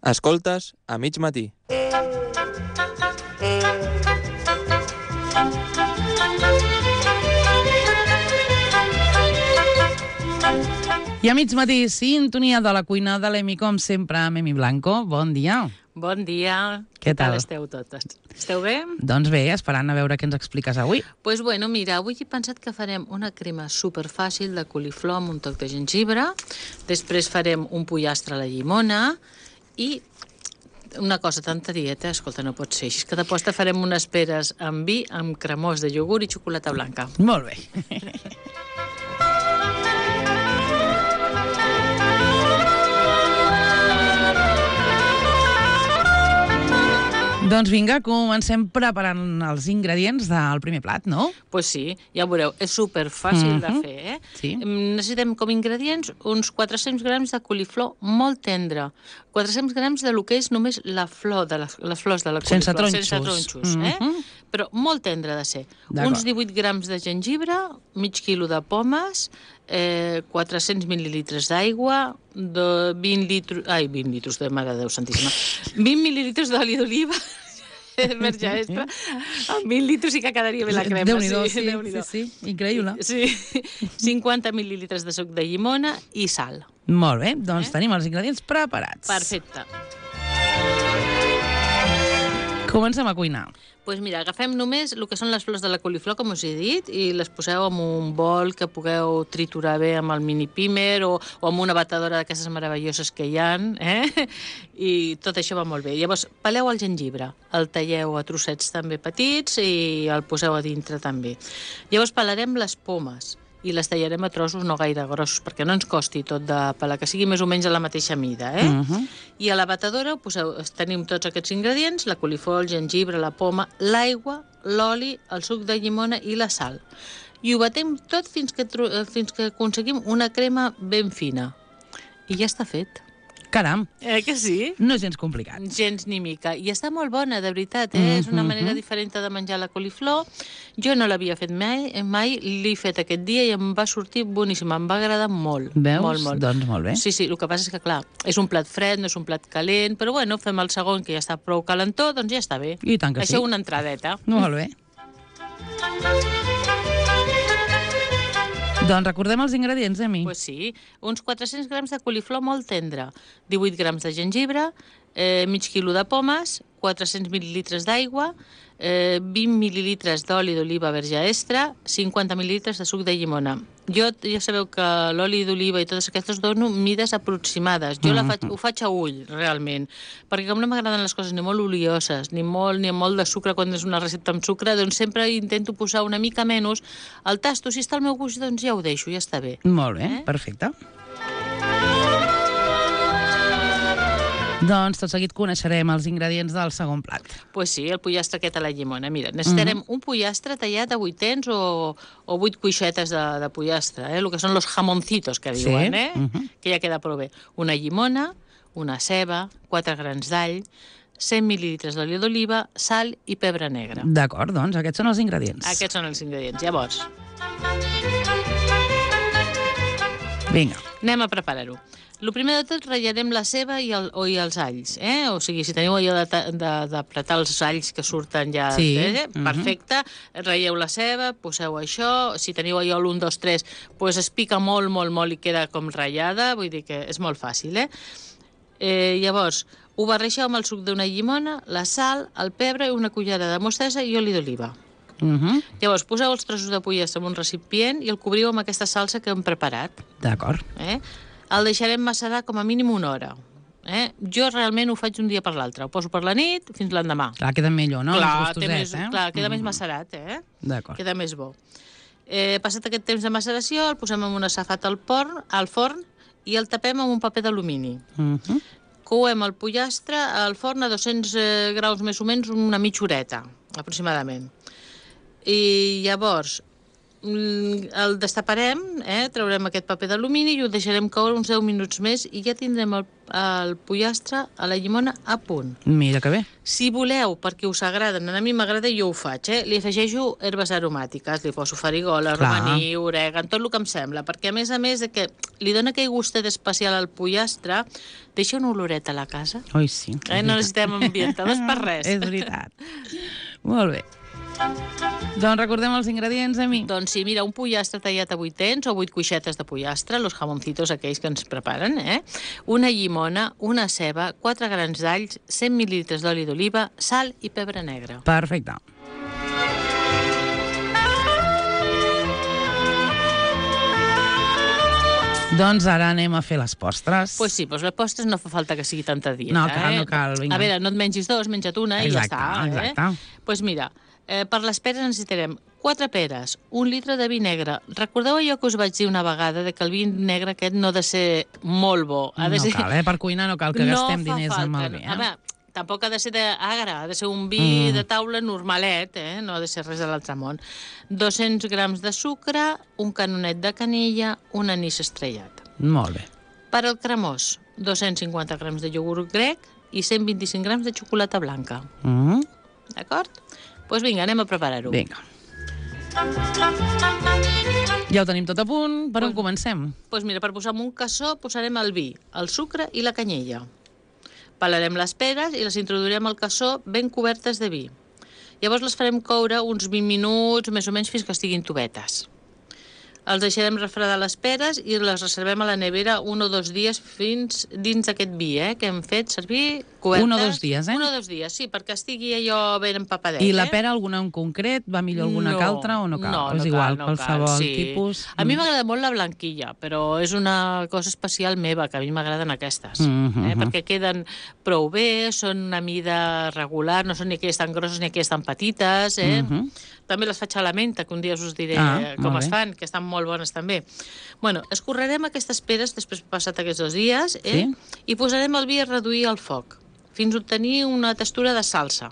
Escoltes a mig matí. I a mig matí, sintonia de la cuina de l'Emi, com sempre, amb Emi Blanco. Bon dia. Bon dia. Què tal? Esteu totes? Esteu bé? Doncs bé, esperant a veure què ens expliques avui. Doncs bueno, mira, avui he pensat que farem una crema superfàcil de coliflor amb un toc de gengibre, després farem un pollastre a la llimona i una cosa tan tarieta, escolta, no pot ser així, que de posta farem unes peres amb vi, amb cremós de iogurt i xocolata blanca. Molt bé. Doncs vinga, comencem preparant els ingredients del primer plat, no? Pues sí, ja ho veureu, és superfàcil de fer, eh? Sí. Necessitem com a ingredients uns 400 grams de coliflor molt tendre, 400 grams de lo que és només la flor de les flors de la coliflor. Sense tronxos, però molt tendre ha de ser. Uns 18 grams de gengibre, mig quilo de pomes, 400 mil·lilitres d'aigua, 20 litres de Mare de Déu Santíssima, 20 mil·lilitres d'oli d'oliva, verge extra, amb 20 litres sí que quedaria bé la crema. Déu-n'hi-do, sí, increïble. Sí, 50 mil·lilitres de suc de llimona i sal. Molt bé, doncs tenim els ingredients preparats. Perfecte. Comencem a cuinar. Doncs mira, agafem només el que són les flors de la coliflor, com us he dit, i les poseu en un bol que pugueu triturar bé amb el mini pimer o amb una batedora d'aquestes meravelloses que hi ha, i tot això va molt bé. Llavors, peleu el gengibre, el talleu a trossets també petits i el poseu a dintre també. Llavors pelarem les pomes i les tallarem a trossos no gaire grossos, perquè no ens costi tot de pelar, que sigui més o menys a la mateixa mida, I a la batedora tenim tots aquests ingredients, la coliflor, el gengibre, la poma, l'aigua, l'oli, el suc de llimona i la sal. I ho batem tot fins que aconseguim una crema ben fina. I ja està fet. Caram. Que sí? No és gens complicat. Gens ni mica. I està molt bona, de veritat, És una manera diferent de menjar la coliflor. Jo no l'havia fet mai, l'he fet aquest dia i em va sortir boníssima, em va agradar molt. Veus? Molt. Doncs molt bé. Sí, el que passa és que, clar, és un plat fred, no és un plat calent, però bueno, fem el segon, que ja està prou calentó, doncs ja està bé. I tant que sí. Això una entradeta. Molt bé. Doncs recordem els ingredients, Emi. Pues sí, uns 400 grams de coliflor molt tendre, 18 grams de gengibre, mig quilo de pomes, 400 mil·lilitres d'aigua, 20 mil·lilitres d'oli d'oliva verge extra, 50 mil·lilitres de suc de llimona. Jo ja sabeu que l'oli d'oliva i totes aquestes dono mides aproximades. Jo ho faig a ull, realment, perquè com no m'agraden les coses ni molt olioses, ni amb molt de sucre quan és una recepta amb sucre, doncs sempre intento posar una mica menys. El tasto, si està al meu gust, doncs ja ho deixo, ja està bé. Molt bé, perfecte. Doncs tot seguit coneixerem els ingredients del segon plat. Pues sí, el pollastre aquest a la llimona. Mira, necessitarem un pollastre tallat a 8 o 8 cuixetes de pollastre, el que són los jamoncitos que diuen, que ja queda prou bé. Una llimona, una ceba, 4 grans d'all, 100 mil·lilitres d'oli d'oliva, sal i pebre negre. D'acord, doncs aquests són els ingredients. Aquests són els ingredients. Llavors, vinga. anem a preparar-ho. El primer de tot, ratllarem la ceba i els alls, O sigui, si teniu allò d'apretar els alls que surten ja, perfecte, ratlleu la ceba, poseu això, si teniu allò l'1, 2, 3, doncs es pica molt, molt, molt i queda com ratllada, vull dir que és molt fàcil, Llavors, ho barreixeu amb el suc d'una llimona, la sal, el pebre, una cullera de mostassa i oli d'oliva. Llavors, poseu els trossos de pollastre en un recipient i el cobriu amb aquesta salsa que hem preparat. D'acord. El deixarem macerar com a mínim una hora. Jo realment ho faig un dia per l'altre. Ho poso per la nit fins l'endemà. Clar, queda millor, no? Clar, queda més macerat, D'acord. Queda més bo. Passat aquest temps de maceració, el posem en una safat al forn i el tapem amb un paper d'alumini. Couem el pollastre al forn a 200 graus més o menys una mitja horeta, aproximadament. I llavors el destaparem, traurem aquest paper d'alumini i ho deixarem caure uns 10 minuts més i ja tindrem el pollastre a la llimona a punt. Mira que bé. Si voleu, perquè us agraden, a mi m'agrada i jo ho faig, li afegeixo herbes aromàtiques, li poso farigola, romaní, orègan, tot el que em sembla, perquè a més de que li dona aquell gustet especial al pollastre, deixa una oloreta a la casa. Oi, sí. No necessitem ambientadors per res. És veritat. Molt bé. Doncs recordem els ingredients, Emi. Doncs sí, mira, un pollastre tallat a 8 o 8 cuixetes de pollastre, los jamoncitos aquells que ens preparen, una llimona, una ceba, 4 grans d'alls, 100 mil·lilitres d'oli d'oliva, sal i pebre negre. Perfecte. Doncs ara anem a fer les postres. Pues sí, doncs les postres no fa falta que sigui tanta dieta. No cal, no cal. Vinga. A veure, no et mengis dos, menja't una i ja està. Exacte. Doncs mira, per les peres necessitarem 4 peres, 1 litre de vi negre. Recordeu allò que us vaig dir una vegada, de que el vi negre aquest no ha de ser molt bo. No cal, per cuinar no cal que gastem diners amb el vi. A veure, tampoc ha de ser d'agre, ha de ser un vi de taula normalet, no ha de ser res de l'altre món. 200 grams de sucre, un canonet de canella, un anís estrellat. Molt bé. Per al cremós, 250 grams de iogurt grec i 125 grams de xocolata blanca. D'acord? Doncs vinga, anem a preparar-ho. Vinga. Ja ho tenim tot a punt. Per on comencem? Doncs mira, per posar en un cassó posarem el vi, el sucre i la canyella. Pelarem les peres i les introduirem al cassó ben cobertes de vi. Llavors les farem coure uns 20 minuts, més o menys, fins que estiguin tovetes. Els deixarem refredar les peres i les reservem a la nevera 1 o 2 dies fins dins aquest vi, que hem fet servir cobertes. 1 o 2 dies, 1 o 2 dies, sí, perquè estigui allò ben empapadet. I la pera, alguna en concret? Va millor alguna que altra o no cal? No, és igual, no qualsevol sí. tipus. A mi m'agrada molt la blanquilla, però és una cosa especial meva, que a mi m'agraden aquestes, perquè queden prou bé, són una mida regular, no són ni aquelles tan grosses ni aquelles tan petites, També les faig a la menta, que un dia us diré com es fan, que estan molt bones també. Bueno, escorrerem aquestes peres després passat aquests 2 dies i posarem el vi a reduir el foc fins a obtenir una textura de salsa.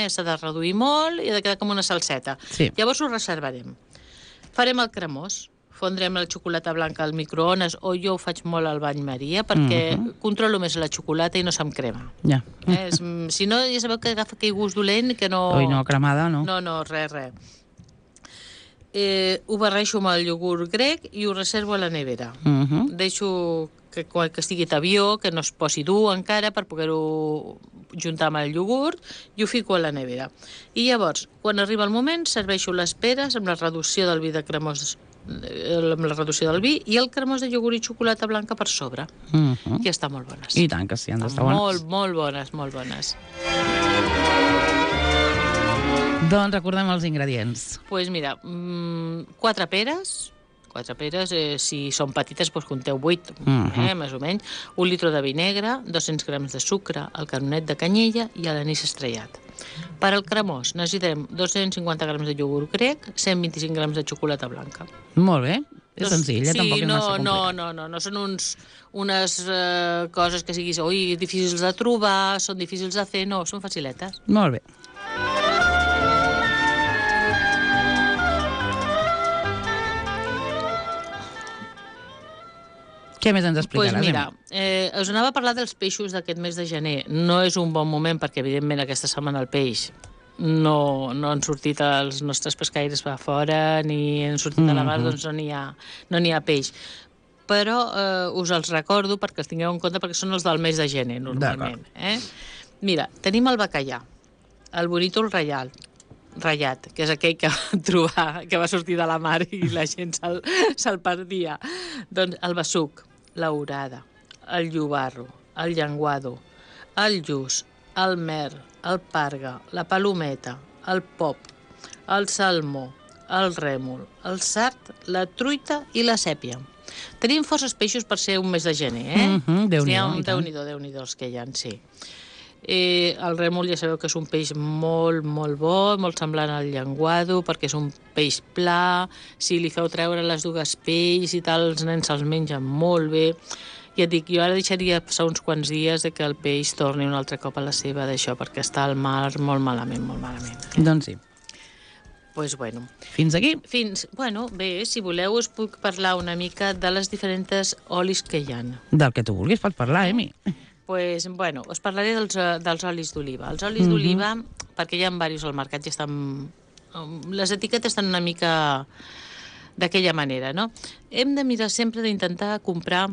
S'ha de reduir molt i ha de quedar com una salseta. Llavors ho reservarem. Farem el cremós. Fondrem la xocolata blanca al microones, o jo ho faig molt al bany Maria, perquè controlo més la xocolata i no se'm crema. Si no, ja sabeu que agafa aquell gust dolent que no... Oi, no, cremada, no. No, res. Ho barreixo amb el iogurt grec i ho reservo a la nevera. Deixo que estigui tabió, que no es posi dur encara per poder-ho juntar amb el iogurt i ho fico a la nevera. I llavors, quan arriba el moment, serveixo les peres amb la reducció del vi de cremós, amb la reducció del vi i el cremós de iogurt i xocolata blanca per sobre. Que estan molt bones. I tant que sí, han d'estar bones. Molt bones. Doncs recordem els ingredients. Doncs mira, 4 peres, si són petites, doncs compteu 8, més o menys, 1 litre de vi negre, 200 grams de sucre, el canonet de canyella i l'anís estrellat. Per al cremós necessitarem 250 grams de iogurt grec, 125 grams de xocolata blanca. Molt bé, és senzill, tampoc és massa complicat. No són unes coses que siguis difícils de trobar, són difícils de fer, no, són faciletes. Molt bé. Què més ens explicaràs? Doncs mira, us anava a parlar dels peixos d'aquest mes de gener. No és un bon moment perquè, evidentment, aquesta setmana el peix no han sortit els nostres pescaires a fora ni han sortit a la mar, doncs no n'hi ha peix. Però us els recordo perquè els tingueu en compte perquè són els del mes de gener, normalment. Mira, tenim el bacallà, el bonítol ratllat, que és aquell que va trobar, que va sortir de la mar i la gent se'l perdia. Doncs el besuc, l'orada, el llobarro, el llenguado, el lluç, el mer, el parga, la palometa, el pop, el salmó, el rèmol, el sard, la truita i la sèpia. Tenim forces peixos per ser un mes de gener, Déu-n'hi-do els que hi ha, sí. El rèmol ja sabeu que és un peix molt, molt bo, molt semblant al llenguado, perquè és un peix pla, si li feu treure les dues pells i tal, els nens se'ls mengen molt bé. Ja et dic, jo ara deixaria passar uns quants dies que el peix torni un altre cop a la seva d'això, perquè està al mar molt malament. Doncs sí. Pues bueno. Fins aquí? Bueno, bé, si voleu us puc parlar una mica de les diferents olis que hi ha. Del que tu vulguis pots parlar, Emi. Pues, bueno, us parlaré dels olis d'oliva. Els olis d'oliva, perquè hi ha diversos al mercat, ja estan... Les etiquetes estan una mica d'aquella manera, no? Hem de mirar sempre d'intentar comprar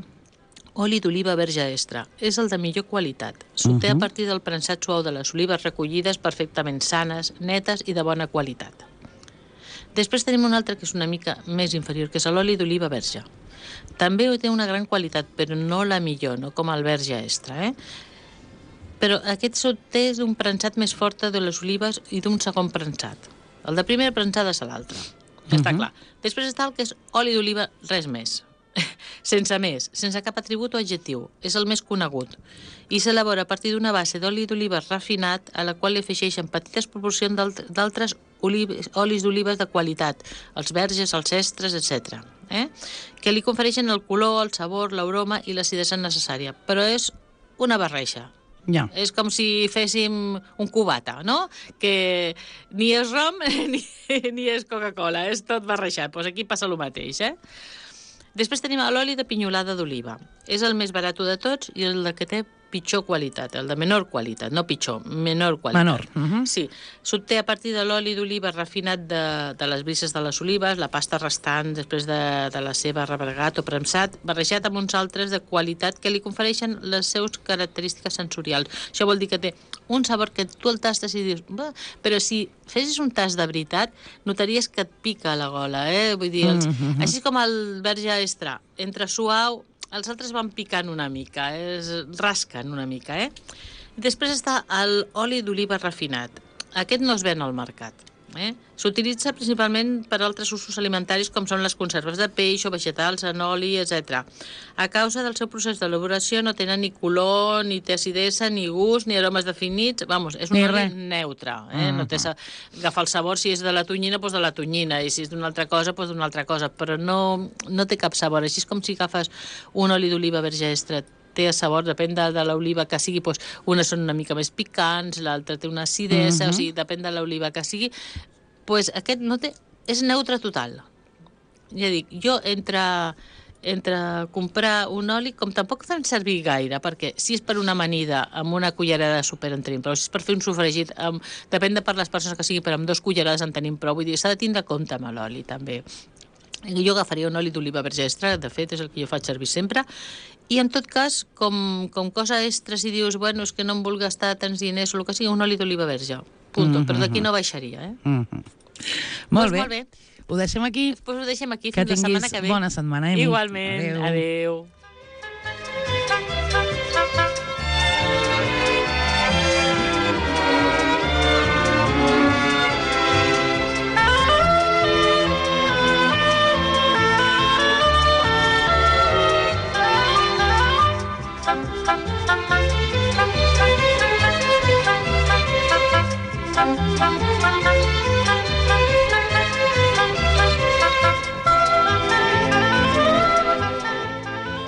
oli d'oliva verge extra. És el de millor qualitat. S'obté a partir del prensat suau de les olives recollides perfectament sanes, netes i de bona qualitat. Després tenim un altre que és una mica més inferior, que és l'oli d'oliva verge. També té una gran qualitat, però no la millor, no com el verge extra, Però aquest s'obté d'un prensat més fort de les olives i d'un segon prensat. El de primera prensada és l'altre. Està clar. Després està el que és oli d'oliva, res més. Sense cap atribut o adjectiu. És el més conegut. I s'elabora a partir d'una base d'oli d'oliva refinat a la qual li afegeixen petites proporcions d'altres olis d'olives de qualitat, els verges, els extres, etc. Que li confereixen el color, el sabor, l'aroma i l'acidesa necessària. Però és una barreja. Ja. És com si féssim un cubata, no? Que ni és rom ni és Coca-Cola, és tot barrejat. Doncs aquí passa el mateix, Després tenim l'oli de pinyolada d'oliva. És el més barat de tots i el que té pitjor qualitat, el de menor qualitat, no pitjor, menor qualitat. Menor. Sí, s'obté a partir de l'oli d'oliva refinat de les brises de les olives, la pasta restant després de la seva rebregat o premsat, barrejat amb uns altres de qualitat que li confereixen les seves característiques sensorials. Això vol dir que té un sabor que tu el tastes i dius... Però si fessis un tast de veritat, notaries que et pica a la gola, Vull dir, així com el verge extra, entre suau... Els altres van picant una mica, es rasquen una mica, Després està l'oli d'oliva refinat. Aquest no es ven al mercat. S'utilitza principalment per altres usos alimentaris com són les conserves de peix o vegetals en oli, etc. A causa del seu procés d'elaboració no tenen ni color, ni té acidesa, ni gust, ni aromes definits. Vamos, és un oli neutre. No té agafar el sabor, si és de la tonyina, doncs de la tonyina, i si és d'una altra cosa, doncs d'una altra cosa, però no té cap sabor. Així és com si agafes un oli d'oliva verge extra, té sabor, depèn de l'oliva que sigui, doncs unes són una mica més picants, l'altra té una acidesa, o sigui, depèn de l'oliva que sigui, doncs aquest no té, és neutre total. Ja dic, jo entre comprar un oli, com tampoc fan servir gaire, perquè si és per una amanida amb una cullerada de sucre en tenim prou, si és per fer un sofregit, depèn de per les persones que sigui, però amb 2 cullerades en tenim prou, vull dir, s'ha de tindre compte amb l'oli també. Jo agafaria un oli d'oliva verge extra, de fet és el que jo faig servir sempre, i en tot cas, com cosa extra, si dius, bueno, és que no em vull gastar tants diners o el que sigui, un oli d'oliva verge, punto, però d'aquí no baixaria, Molt bé. Ho deixem aquí. Doncs ho deixem aquí, fins la setmana que ve. Que tinguis bona setmana, Emi. Igualment, adeu. Thank you.